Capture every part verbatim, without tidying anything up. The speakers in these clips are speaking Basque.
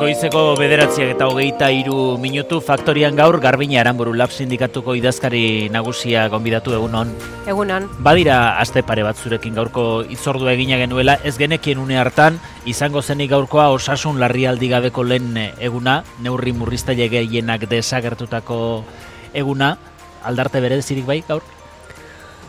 Goizeko bederatziak eta hogeita hiru minutu faktorian gaur Garbine Aranburu Lab sindikatuko idazkari nagusia gonbidatu egunon. Egunon. Badira aste pare bat zurekin gaurko itzordua egina genuela, ez genekien une hartan izango zenik gaurkoa osasun larrialdi gabeko lehen eguna, neurri murriztaile gehienak desagertutako eguna, aldarte berezirik bai gaur?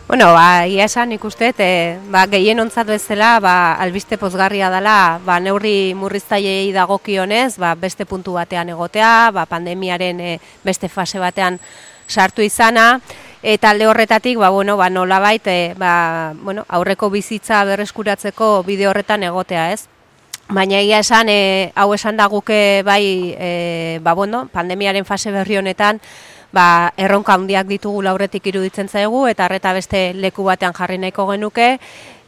Bueno, ba, ia esan ikustet, e, ba, gehien ontzat bezala, ba, albiste pozgarria dela, ba, neurri murriztailei dagokionez, ba, beste puntu batean egotea, ba, pandemiaren e, beste fase batean sartu izana, eta alde horretatik, ba, bueno, ba, nolabait, e, ba, bueno, aurreko bizitza berreskuratzeko bide horretan egotea, ez? Baina egia esan, e, hau esan da guke bai, e, ba, bueno, pandemiaren fase berri honetan, ba, erronka handiak ditugu lauretik iruditzen zaigu, eta arreta beste leku batean jarri nahiko genuke.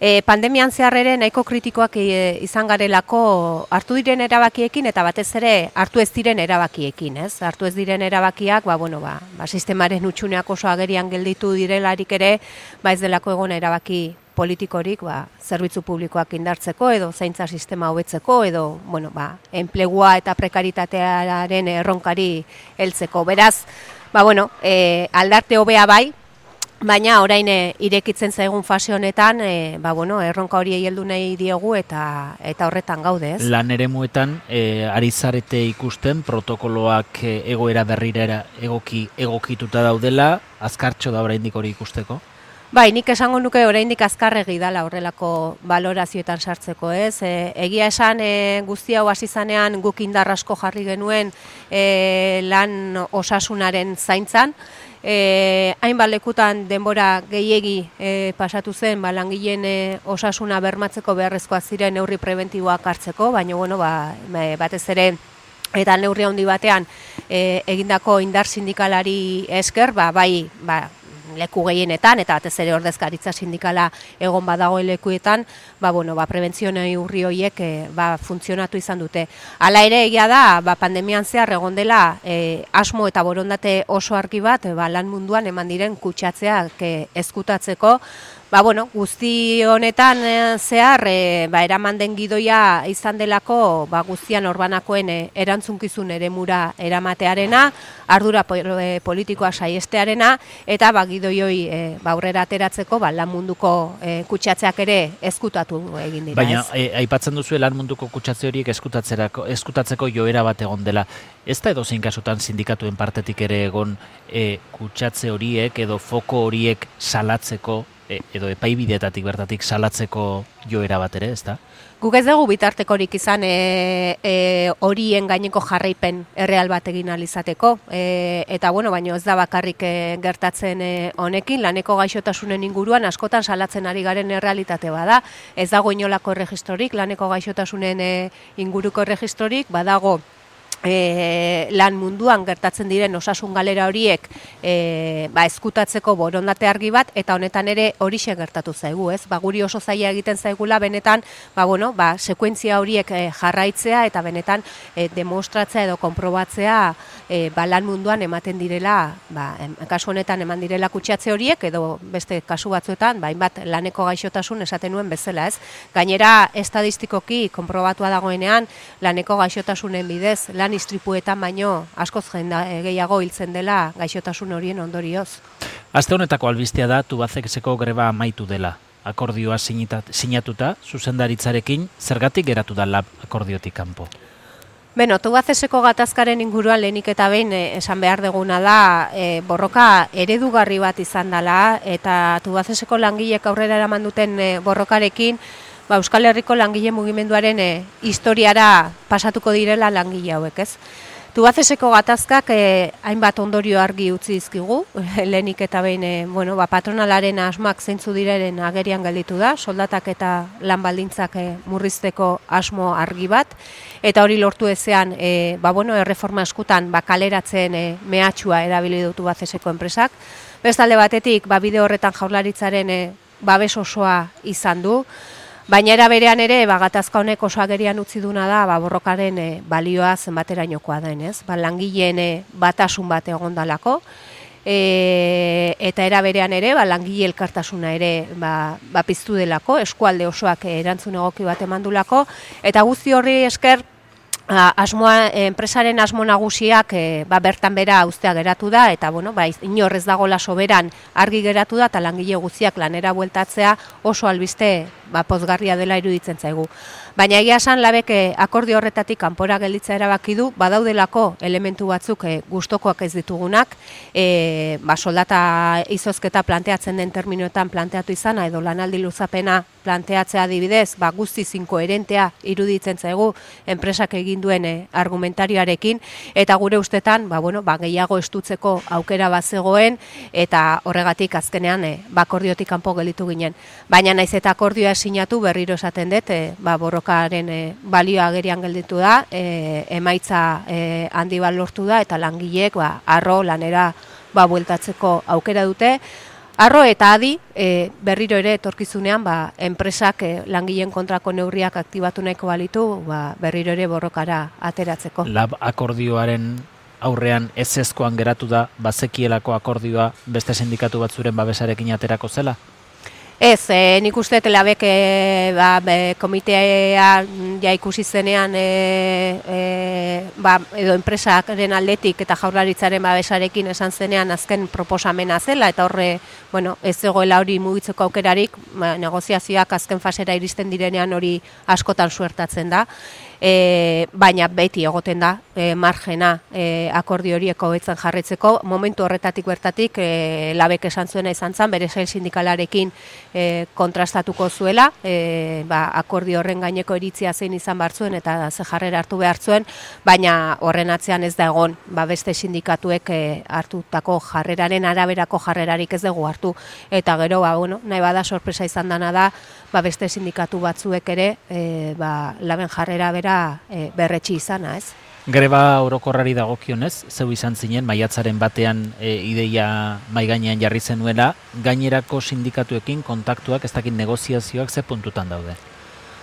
E, pandemian zehar ere nahiko kritikoak e, izan garelako hartu diren erabakiekin, eta batez ere hartu ez diren erabakiekin, ez? Hartu ez diren erabakiak, ba, bueno, ba, ba, sistemaren hutsuneak oso agerian gelditu direlarik ere, ba, ez delako egon erabaki politikorik, ba, zerbitzu publikoak indartzeko edo zaintza sistema hobetzeko edo, bueno, ba, enplegua eta prekaritatearen erronkari heltzeko. Beraz, ba, bueno, e, aldarte hobea bai, baina orain e, irekitzen zaigun fase honetan, e, ba, bueno, erronka hori heldu nahi diegu eta eta horretan gaude, ez? Lan eremuetan e, ari zarete ikusten protokoloak e, egoera berrira egoki egokituta daudela, azkartxo da oraindik hori ikusteko? Bai, nik esango nuke oraindik azkarregi dala horrelako balorazioetan sartzeko, ez? E, egia esan e, guzti hau hasi zanean guk indar asko jarri genuen e, lan osasunaren zaintzan. E, hainbat lekutan denbora gehiegi e, pasatu zen, ba, langileen e, osasuna bermatzeko beharrezkoak ziren neurri preventiboak hartzeko, baina bueno, ba, batez ere eta neurri handi batean e, egindako indar sindikalari esker, ba, bai, ba, leku gehienetan, eta batez ere ordezkaritza sindikala egon badago lekuetan, ba, bueno, ba, prebentzio neurri horiek e, ba, funtzionatu izan dute. Hala ere egia da, ba, pandemian zehar egon dela e, asmo eta borondate oso argi bat, e, ba, lan munduan eman diren kutsatzeak e, ezkutatzeko. Ba, bueno, guzti honetan e, zehar, e, ba, eraman den gidoia izan delako, ba, guztian orbanakoen e, erantzunkizun eremura eramatearena, ardura po, e, politikoa saiestearena, eta ba, gidoioi e, ba, aurrera ateratzeko, ba, lan munduko e, kutsatzeak ere ezkutatu egin dira. Baina, ez? E, aipatzen duzu lan munduko kutsatze horiek ezkutatzeko joera bat egon dela. Ez da edozein kasutan sindikatuen partetik ere egon e, kutsatze horiek edo foko horiek salatzeko, edo epaibideetatik bertatik salatzeko joera bat ere, ez da? Guk ez dugu bitartekorik izan e, e, horien gaineko jarraipen erreal bat egin alizateko. E, eta bueno, baino ez da bakarrik e, gertatzen e, honekin, laneko gaixotasunen inguruan askotan salatzen ari garen errealitate bada. Ez dago inolako erregistrorik, laneko gaixotasunen e, inguruko erregistrorik, badago E, lan munduan gertatzen diren osasun galera horiek e, ba, ezkutatzeko borondate argi bat, eta honetan ere horixe gertatu zaigu, ez? Ba, guri oso zaila egiten zaigula benetan, ba, bueno, ba, sekuentzia horiek e, jarraitzea eta benetan e, demostratzea edo konprobatzea e, ba, lan munduan ematen direla, ba, em, kasu honetan eman direla kutsatze horiek, edo beste kasu batzuetan, ba, hainbat laneko gaixotasun esaten nuen bezala, ez? Gainera, estadistikoki konprobatua dagoenean, laneko gaixotasunen bidez, lan istripuetan baino askoz jenda gehiago hiltzen dela gaixotasun horien ondorioz. Aste honetako albistea da Tubacexeko greba amaitu dela. Akordioa sinatuta, zuzendaritzarekin, zergatik geratu da lab akordiotik kanpo? Beno, Tubacexeko gatazkaren inguruan lehenik eta behin e, esan behar deguna da e, borroka eredugarri bat izan dela, eta Tubacexeko langilek aurrera eraman duten e, borrokarekin, ba, Euskal Herriko langile mugimenduaren e, historiara pasatuko direla langile hauek, ez? Tubacexeko gatazkak e, hainbat ondorio argi utzi dizkigu, lehenik eta behin e, bueno, ba, patronalaren asmoak zeintzu direnen agerian gelditu da, soldatak eta lan baldintzak e, murrizteko asmo argi bat, eta hori lortu ezean, e, ba, bueno, erreforma eskutan ba, kaleratzen e, mehatxua erabili du Tubacexeko enpresak. Bestalde batetik, ba, bide horretan Jaurlaritzaren e, babes osoa izan du, baina era berean ere, ba, gatazka honek oso agerian utzi duna da, ba, borrokaren e, balioa zenbaterainokoa den, ez? Ba, langileen e, batasun bat egondalako, e, eta era berean ere, ba, langile elkartasuna ere ba, ba, piztu delako, eskualde osoak erantzun egoki bat emandulako, eta guzti horri esker, asmoa, enpresaren asmo nagusiak e, ba, bertan bera uztea geratu da, eta bueno, ba, inor ez dagoela soberan argi geratu da, eta langile guztiak lanera bueltatzea oso albiste ba, pozgarria dela iruditzen zaigu. Baina egia esan labek akordio horretatik kanpora gelditzea erabaki du, badaudelako elementu batzuk e, gustokoak ez ditugunak, e, ba, soldata izozketa planteatzen den terminoetan planteatu izana, edo lanaldi luzapena planteatzea adibidez, ba, guztiz inkoherentea iruditzen zaigu enpresak egin duen e, argumentarioarekin, eta gure ustetan ba, bueno, ba, gehiago estutzeko aukera bazegoen, eta horregatik azkenean e, ba, akordiotik kanpo gelditu ginen. Baina naiz eta akordioa sinatu berriro esaten dut, e, ba, borrokaren e, balioa agerian gelditu da, e, emaitza e, handi bat lortu da, eta langileek ba, arro lanera ba, bueltatzeko aukera dute. Arro eta adi e, berriro ere etorkizunean ba, enpresak e, langileen kontrako neurriak aktibatu nahiko balitu ba, berriro ere borrokara ateratzeko. Lab akordioaren aurrean ezezkoan geratu da bazekielako akordioa beste sindikatu batzuren babesarekin aterako zela? Ez, e, nik uste labek e, ba, be, komitea ja ikusi zenean e, e, ba, edo enpresaren aldetik eta jaurlaritzaren babesarekin esan zenean azken proposamena zela, eta horre bueno, ez zegoela hori mugitzeko aukerarik, ba, negoziazioak azken fasera iristen direnean hori askotan suertatzen da. E, baina beti egoten da e, margena e, akordio horiek hobetzen jarritzeko. Momentu horretatik bertatik e, labek esan zuena izan zen, bere sail sindikalarekin e, kontrastatuko zuela, e, ba, akordio horren gaineko iritzia zein izan behar zuen eta ze jarrera hartu behar zuen, baina horren atzean ez da egon ba, beste sindikatuek e, hartutako jarreraren araberako jarrerarik ez dugu hartu, eta gero ba, bueno, nahi bada sorpresa izan dana da ba, beste sindikatu batzuek ere e, ba, laben jarrera bera E, berretsi izana, ez? Greba orokorrari dagokionez, zeu izan zinen, maiatzaren batean e, ideia maigainean jarri zenuela, gainerako sindikatuekin kontaktuak, ez dakit negoziazioak ze puntutan daude?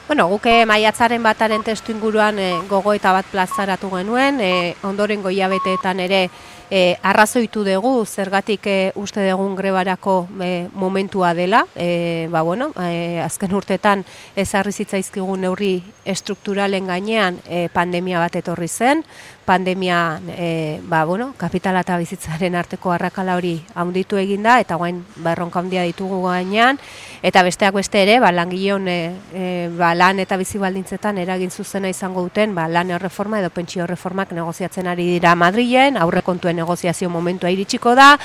Bueno, guke maiatzaren bataren testu inguruan e, gogoeta bat plazaratu genuen, e, ondorengo hilabeteetan ere e, arrazoitu dugu, zergatik e, uste dugun grebarako e, momentua dela, e, ba bueno, e, azken urtetan ezarri zitzaizkigun neurri estrukturalen gainean e, pandemia bat etorri zen, pandemia e, ba, bueno, kapitala eta bizitzaren arteko arrakala hori handitu eginda, eta guain berronka handia ditugu gainean, eta besteak beste ere, ba, langileon e, e, ba, lan eta bizi baldintzetan eragin zuzena izango duten, ba, lan erreforma edo pentsio erreformak negoziatzen ari dira Madrilen, aurrekontuen negoziazio momentua iritsiko da,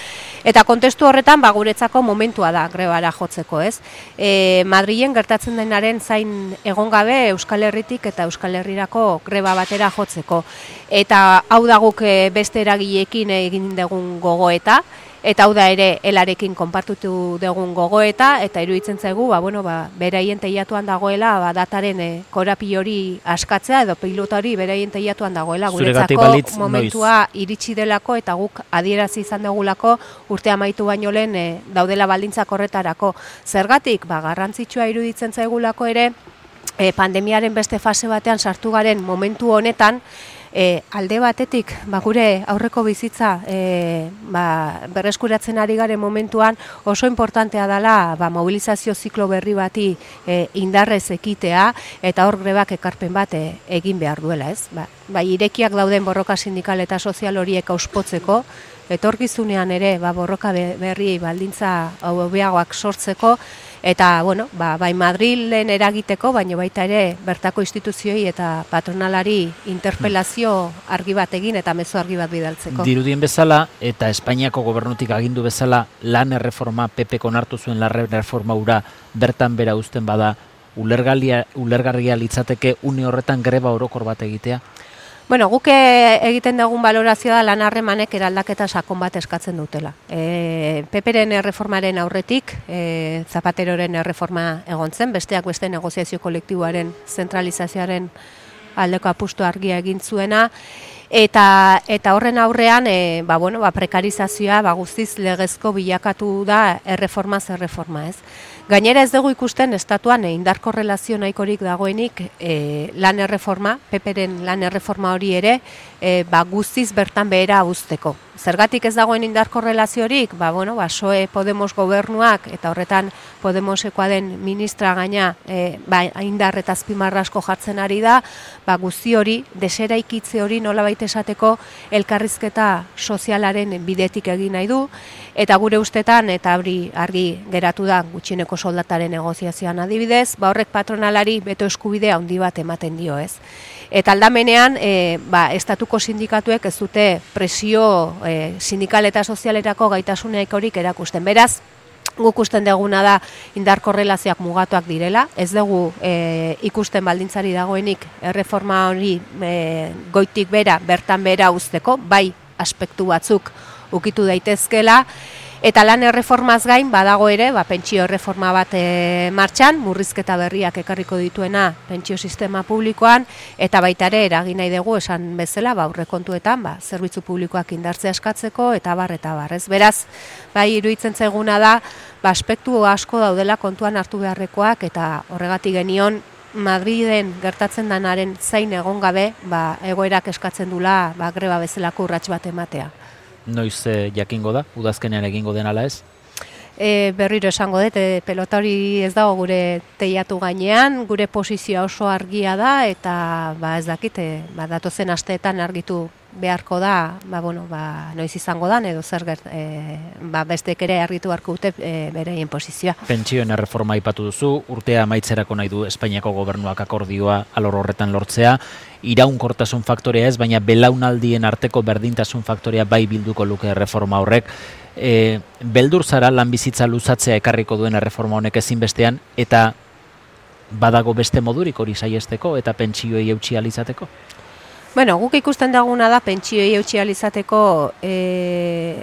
eta kontestu horretan ba, guretzako momentua da grebara jotzeko, ez? E, Madrilen gertatzen denaren zain egon gabe Euskal Herritik eta Euskal Herrirako greba batera jotzeko. Eta hau da guk beste eragileekin egin dugun gogoeta, eta hau da ere elarekin konpartutu dugun gogoeta, eta iruditzen zaigu, ba, bueno, ba, beraien teilatuan dagoela, ba, dataren e, korapi hori askatzea, edo pilota hori beraien teilatuan dagoela, guretzako momentua iritsi delako, eta guk adierazi izan dugulako urte amaitu baino lehen e, daudela baldintzak horretarako. Zergatik, ba, garrantzitsua iruditzen zaigulako ere, e, pandemiaren beste fase batean sartu garen momentu honetan, E, alde batetik, ba, gure aurreko bizitza e, ba, berreskuratzen ari garen momentuan oso importantea dela ba, mobilizazio ziklo berri bati e, indarrez ekitea, eta hor grebak ekarpen bat e, egin behar duela, ez? Ba, ba, irekiak dauden borroka sindikal eta sozial horiek auspotzeko, etorkizunean ere ba, borroka berri baldintza hobeagoak sortzeko, eta, bueno, ba, bai Madrilen eragiteko, baina baita ere bertako instituzioi eta patronalari interpelazio argi bat egin eta mezu argi bat bidaltzeko. Dirudien bezala eta Espainiako gobernutik agindu bezala lan erreforma, P P onartu zuen lan erreforma ura bertan bera uzten bada, ulergarria litzateke une horretan greba orokor bat egitea? Bueno, guk egiten dugun balorazioa da lan harremanek eraldaketa sakon bat eskatzen dutela. E, Peperen erreformaren aurretik, e, Zapateroren erreforma egon zen, besteak beste negoziazio kolektiboaren zentralizazioaren aldeko apustu argia egin zuena, Eta, eta horren aurrean, e, ba, bueno, ba, prekarizazioa ba, guztiz legezko bilakatu da erreforma zer erreforma, ez? Gainera ez dugu ikusten estatuan e, indar korrelazio nahikorik dagoenik e, lan erreforma, Peperen lan erreforma hori ere, e, ba, guztiz bertan behera uzteko. Zergatik ez dagoen indar korrelaziorik, ba, bueno, ba, P S O E Podemos gobernuak eta horretan Podemosekoa den ministra gaina e, ba, indar eta azpimarra asko jartzen ari da, ba, guzti hori, deseraikitze hori nolabait esateko elkarrizketa sozialaren bidetik egin nahi du, eta gure ustetan, eta hori argi geratu da gutxieneko soldataren negoziazioan adibidez, ba, horrek patronalari beto eskubidea handi bat ematen dio, ez. Eta aldamenean, e, ba, estatuko sindikatuek ez dute presio e, sindikal eta sozialerako gaitasuneikorik erakusten. Beraz, guk usten deguna da indar korrelazioak mugatuak direla, ez dugu e, ikusten baldintzari dagoenik erreforma hori e, goitik bera, bertan bera uzteko, bai aspektu batzuk ukitu daitezkela, eta lan erreformaz gain badago ere, ba, pentsio erreforma bat e, martxan, murrizketa berriak ekarriko dituena pentsio sistema publikoan, eta baita ere eragin nahi dugu esan bezala, ba, aurrekontuetan, ba, zerbitzu publikoak indartzea eskatzeko, eta bar, eta bar, ez? Beraz, bai, iruditzen zaiguna da, ba, aspektu asko daudela kontuan hartu beharrekoak, eta horregatik genion, Madriden gertatzen danaren zain egon gabe, ba, egoerak eskatzen dula, ba, greba bezalako urrats bat ematea. Noiz e, jakingo da, udazkenean egingo den ala ez? E, berriro esango dut, e, pelota hori ez dago gure teiatu gainean, gure posizioa oso argia da, eta ba, ez dakit, e, ba, datozen asteetan argitu beharko da, ba, bueno, ba, noiz izango dan, edo zer gert, e, ba, bestek ere argitu beharko dute e, bereien posizioa. Pentsioen erreforma aipatu duzu, urtea amaitzerako nahi du Espainiako gobernuak akordioa alor horretan lortzea, iraunkortasun faktorea ez, baina belaunaldien arteko berdintasun faktorea bai bilduko luke erreforma horrek. E, beldur zara lan bizitza luzatzea ekarriko duen erreforma honek ezinbestean, eta badago beste modurik hori saiesteko eta pentsioei eutsi ahal izateko? Bueno, guk ikusten daguna da pentsioei eutsi ahal izateko e,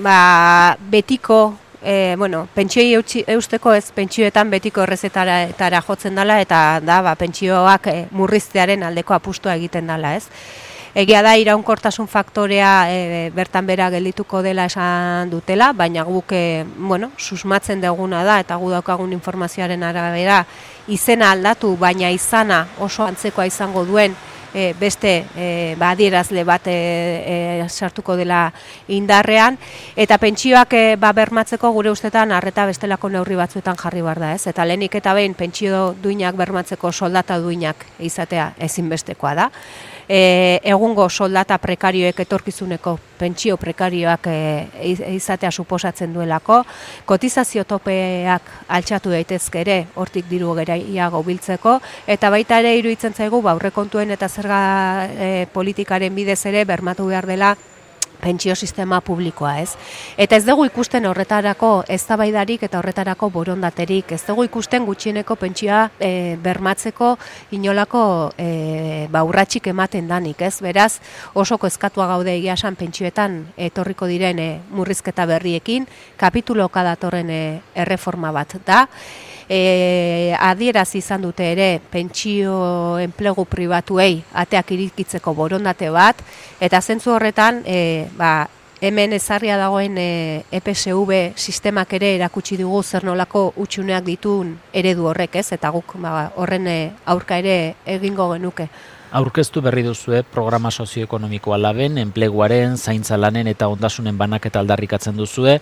ba, betiko E, bueno, pentsioei eusteko ez pentsioetan betiko errezetara jotzen dela eta da ba, pentsioak e, murriztearen aldeko apustua egiten dela, ez? Egia da iraunkortasun faktorea e, bertan bera geldituko dela esan dutela, baina guk e, bueno, susmatzen duguna da eta gu daukagun informazioaren arabera izena aldatu, baina izana oso antzekoa izango duen E, beste e, ba, adierazle bat e, e, sartuko dela indarrean, eta pentsioak e, ba, bermatzeko gure ustetan arreta bestelako neurri batzuetan jarri behar da, ez? Eta lehenik eta behin pentsio duinak bermatzeko soldata duinak izatea ezinbestekoa da. E, egungo soldata prekarioek etorkizuneko pentsio prekarioak e, izatea suposatzen duelako, kotizazio topeak altxatu daitezke ere hortik diru gehiago biltzeko, eta baita ere iruditzen zaigu ba, aurrekontuen eta zerga e, politikaren bidez ere bermatu behar dela pentsio sistema publikoa, ez? Eta ez dugu ikusten horretarako eztabaidarik eta horretarako borondaterik, ez dugu ikusten gutxieneko pentsioa e, bermatzeko inolako e, ba, urratsik ematen danik, ez? Beraz, oso kezkatua gaude egia esan pentsioetan etorriko diren e, murrizketa berriekin, kapituloka datorren e, erreforma bat da. E, adierazi izan dute ere pentsio enplegu pribatuei ateak irikitzeko borondate bat, eta zentzu horretan e, ba, hemen ezarria dagoen e, E P S V sistemak ere erakutsi dugu zer nolako hutsuneak dituen eredu horrek, ez? Eta guk ba, horren e, aurka ere egingo genuke. Aurkeztu berri duzue programa sozioekonomikoa laben, enpleguaren, zaintza lanen eta ondasunen banaketa aldarrikatzen duzue,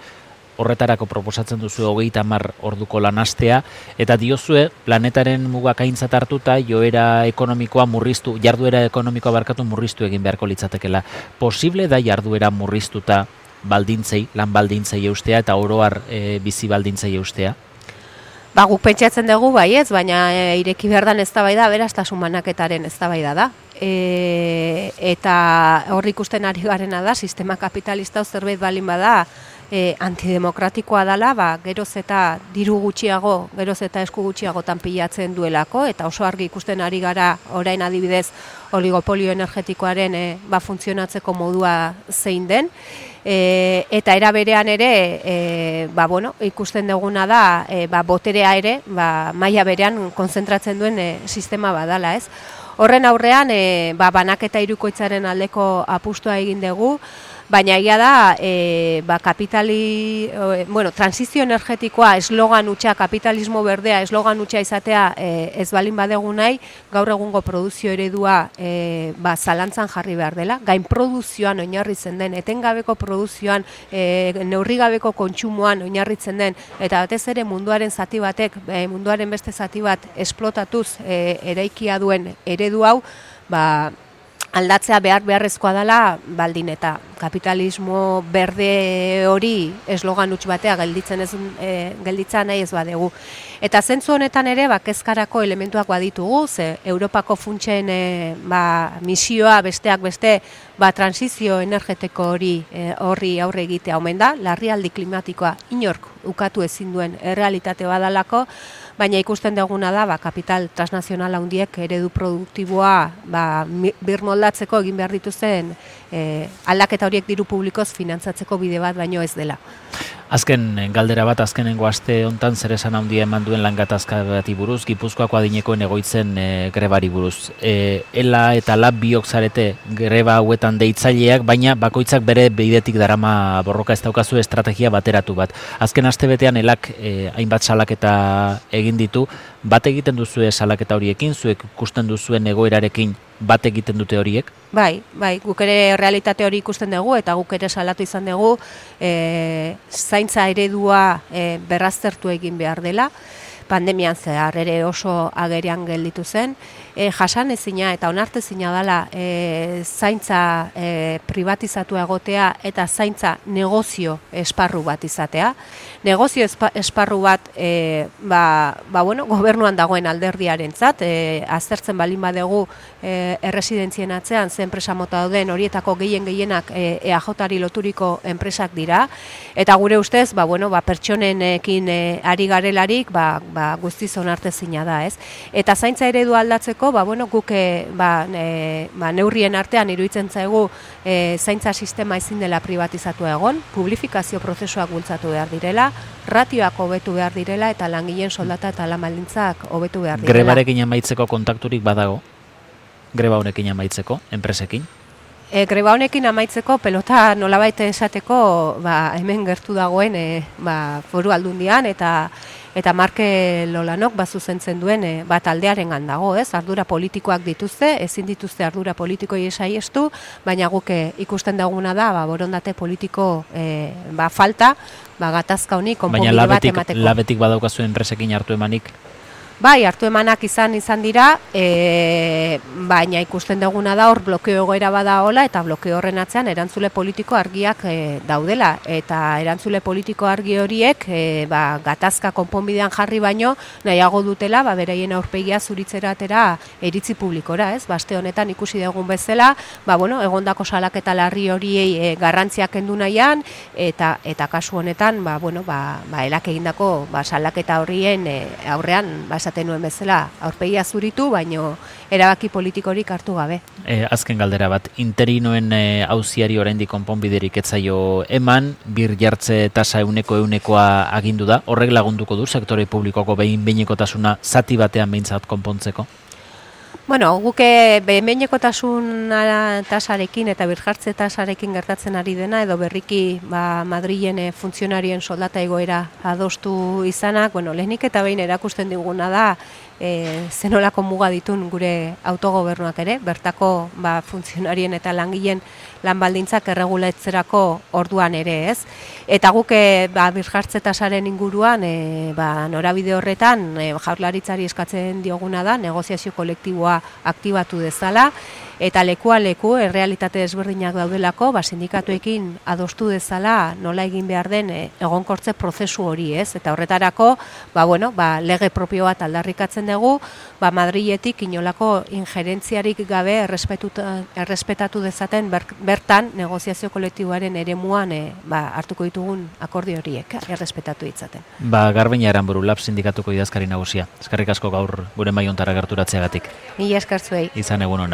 horretarako proposatzen duzu hogeita hamar orduko lanastea, eta diozue planetaren mugak aintzat hartuta joera ekonomikoa murriztu, jarduera ekonomikoa barkatu murriztu egin beharko litzatekela. Posible da jarduera murriztuta baldintzei, lan baldintzei eustea eta oroar e, bizi baldintzei eustea? Ba, guk pentsatzen dugu bai ez, baina e, ireki behar dan eztabaida aberastasun banaketaren eztabaida da. E, eta hor ikusten ari garena da, sistema kapitalista zerbait balin bada, e, antidemokratikoa dela, ba, geroz eta diru gutxiago, geroz eta esku gutxiagotan pilatzen duelako, eta oso argi ikusten ari gara orain adibidez oligopolio energetikoaren e, ba, funtzionatzeko modua zein den. E, eta era berean ere, e, ba, bueno, ikusten duguna da, e, ba, boterea ere, ba, maila berean konzentratzen duen e, sistema badala, ez? Horren aurrean, e, ba, banaketa hirukoitzaren aldeko apustua egin dugu, baina egia da, e, ba, kapitali, e, bueno, transizio energetikoa eslogan hutsa, kapitalismo berdea eslogan hutsa izatea e, ez balin badegu nahi, gaur egungo produzio eredua e, ba, zalantzan jarri behar dela, gain produzioan oinarritzen den, etengabeko produzioan, e, neurrigabeko kontsumoan oinarritzen den, eta batez ere munduaren zati batek, e, munduaren beste zati bat esplotatuz e, eraikia duen eredu hau, ba, aldatzea behar beharrezkoa dela, baldin eta kapitalismo berde hori eslogan huts batea gelditzen ez e, gelditza nahi ez badegu. Eta zentzu honetan ere ba kezkarako elementuak baditugu, ze Europako funtsen e, ba, misioa besteak beste ba transizio energetiko hori e, horri aurre egitea omen da, larrialdi klimatikoa inork ukatu ezin duen errealitate badalako, baina ikusten duguna da ba, kapital transnazional handiek eredu produktiboa ba, birmoldatzeko egin behar dituzten e, aldaketa horiek diru publikoz finantzatzeko bide bat baino ez dela. Azken galdera bat, azkenengo aste hontan zer esan handia eman duen lan gatazka bati buruz, Gipuzkoako adinekoen egoitzen e, grebari buruz. E, Ela eta Lab biok zarete greba hauetan deitzaileak, baina bakoitzak bere bidetik darama borroka, ez daukazu estrategia bateratu bat. Azken astebetean Elak e, hainbat salaketa egin ditu, bat egiten duzue salaketa horiekin, zuek ikusten duzuen egoerarekin bat egiten dute horiek? Bai, bai, guk ere realitate hori ikusten dugu eta guk ere salatu izan dugu e, zaintza eredua e, berraztertu egin behar dela. Pandemian zehar ere oso agerian gelditu zen, e, jasan ezina eta onartezina dela e, zaintza e, privatizatu egotea eta zaintza negozio esparru bat izatea. Negozio esparru bat e, ba, ba, bueno, gobernuan dagoen alderdiarentzat, e, aztertzen balin badegu e, erresidentzien atzean ze enpresa mota dauden horietako gehien gehienak e, E A Jari loturiko enpresak dira, eta gure ustez ba, bueno, ba, pertsonenekin e, ari garelarik ba, ba, guztiz onartezina da, ez? Eta zaintza eredu aldatzeko, ba, bueno, guk e, ba, e, ba, neurrien artean iruditzen zaigu e, zaintza sistema ezin dela privatizatu egon, publifikazio prozesuak bultzatu behar direla, ratioak hobetu behar direla eta langileen soldata eta lan baldintzak hobetu behar direla. Grebarekin amaitzeko kontakturik badago? Greba honekin amaitzeko, enpresekin? E, greba honekin amaitzeko pelota nolabait esateko ba, hemen gertu dagoen e, ba, foru aldundian eta eta Marke Lolanok bazuzentzen duen e, bat aldearengan dago, ez? Ardura politikoak dituzte, ezin dituzte ardura politikoi saiestu, baina guk e, ikusten duguna da ba, borondate politiko e, ba, falta, ba, gatazka honi konponbide bat emateko. Baina labetik badaukazu enpresekin hartu emanik? Bai, hartu emanak izan izan dira, e, baina ikusten duguna da hor blokeo egoera bada hola eta blokeo horren atzean erantzule politiko argiak e, daudela. Eta erantzule politiko argi horiek e, ba, gatazka konponbidean jarri baino nahiago dutela ba, beraien aurpegia zuritzeratera iritzi publikora, ez? Baste honetan ikusi dugun bezala, ba, bueno, egondako salaketa larri horiei e, garrantziak kendu nahian eta eta kasu honetan ba, bueno, ba, ba, Elak egindako ba, salaketa horrien e, aurrean ba, esaten nuen bezala, aurpegia zuritu, baino erabaki politikorik hartu gabe. E, azken galdera bat, interinoen auziari oraindik konponbiderik ez zaio eman, bir jartze tasa euneko eunekoa agindu da, horrek lagunduko du sektore publikoko behin behinekotasuna zati batean behintzat konpontzeko? Bueno, guke behin-behinekotasun tasarekin eta birjartze tasarekin gertatzen ari dena, edo berriki ba, Madrilen funtzionarien soldata egoera adostu izanak, bueno, lehenik eta behin erakusten diguna da, e, zenolako muga ditun gure autogobernuak ere, bertako ba, funtzionarien eta langileen lan baldintzak erregulatzerako orduan ere, ez? Eta guke ba, birjartze tasaren inguruan, e, ba, norabide horretan, e, Jaurlaritzari eskatzen dioguna da, negoziazio kolektiboa aktibatu dezala, eta lekua leku errealitate desberdinak daudelako, ba, sindikatuekin adostu dezala nola egin behar den e, egonkortze prozesu hori, ez? Eta horretarako, ba, bueno, ba, lege propio bat aldarrikatzen eskatzen dugu, ba, Madriletik inolako injerentziarik gabe errespetatu dezaten ber, bertan negoziazio kolektiboaren eremuan e, ba, hartuko ditugun akordio horiek errespetatu ditzaten. Ba, Garbiñe Aranburu, Lab sindikatuko idazkari nagusia. Eskerrik asko gaur gure maiontara gerturatzeagatik. Mila esker zuei. Izan egun ona.